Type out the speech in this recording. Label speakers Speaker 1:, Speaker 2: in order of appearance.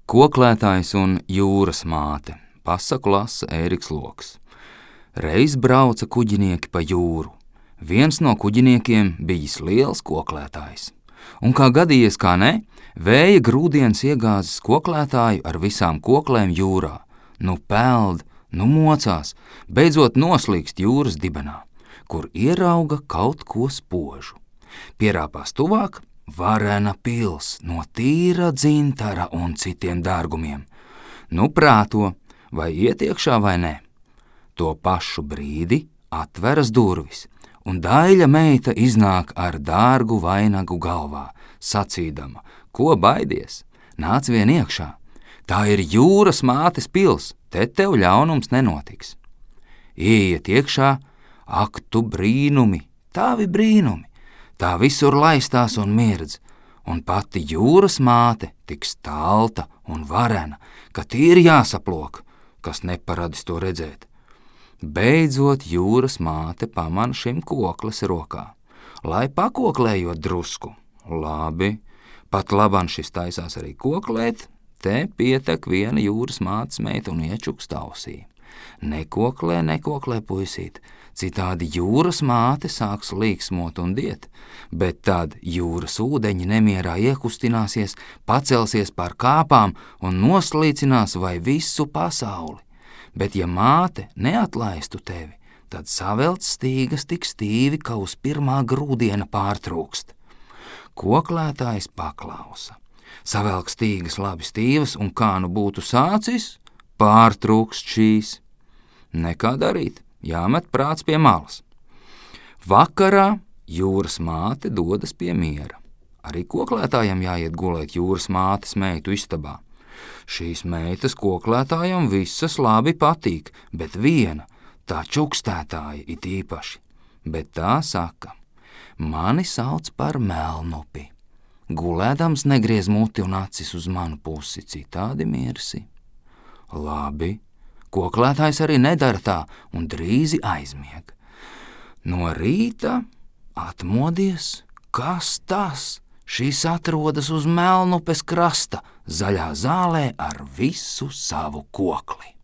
Speaker 1: Koklētājs un jūras māte. Pasaku lasa Ēriks Loks. Reiz brauca kuģinieki pa jūru. Viens no kuģiniekiem bijis liels koklētājs. Un kā gadījies, kā ne, vēja grūdienis iegāzis koklētāju ar visām koklēm jūrā. Nu peld, nu mocās, beidzot noslīkst jūras dibenā, kur ierauga kaut ko spožu. Pierāpās tuvāk, varena pils no tīra dzintara un citiem dārgumiem. Nu prāto, vai iet iekšā vai ne. To pašu brīdi atveras durvis, un Daļa meita iznāk ar dārgu vainagu galvā, sacīdama, ko baidies, nāc vien iekšā. Tā ir jūras mātes pils, te tev ļaunums nenotiks. Ieiet iekšā, ak tu brīnumi, tavi brīnumi, tā visur laistās un mirdz, un pati jūras māte tik stalta un varena, ka tīri jāsaplok, kas neparadis to redzēt. Beidzot jūras māte pamana šim kokles rokā, lai pakoklējot drusku. Labi, pat laban šis taisās arī koklēt, te pietek viena jūras mātes meita un iečukst ausī. Nekoklē, puisīt, citādi jūras māte sāks līksmot un diet, bet tad jūras ūdeņi nemierā iekustināsies, pacelsies pār kāpām un noslīcinās vai visu pasauli. Bet ja māte neatlaistu tevi, tad savelts stīgas tik stīvi, ka uz pirmā grūdiena pārtrūkst. Koklētājs paklausa. Savelk stīgas labi stīvas, un kā nu būtu sācis, pārtrūkst šīs. Nekā darīt, jāmet prāts pie malas. Vakarā jūras māte dodas pie miera. Arī koklētājam jāiet gulēt jūras mātes meitu istabā. Šīs meitas koklētājam visas labi patīk, bet viena, tā čukstētāja it īpaši. Bet tā saka, mani sauc par melnupi. Gulēdams negriez muti un acis uz manu pusi, citādi mirsi. Labi, koklētājs arī nedara tā un drīzi aizmieg. No rīta atmodies, kas tas? Šis atrodas uz Melnupes krasta, zaļā zālē ar visu savu kokli.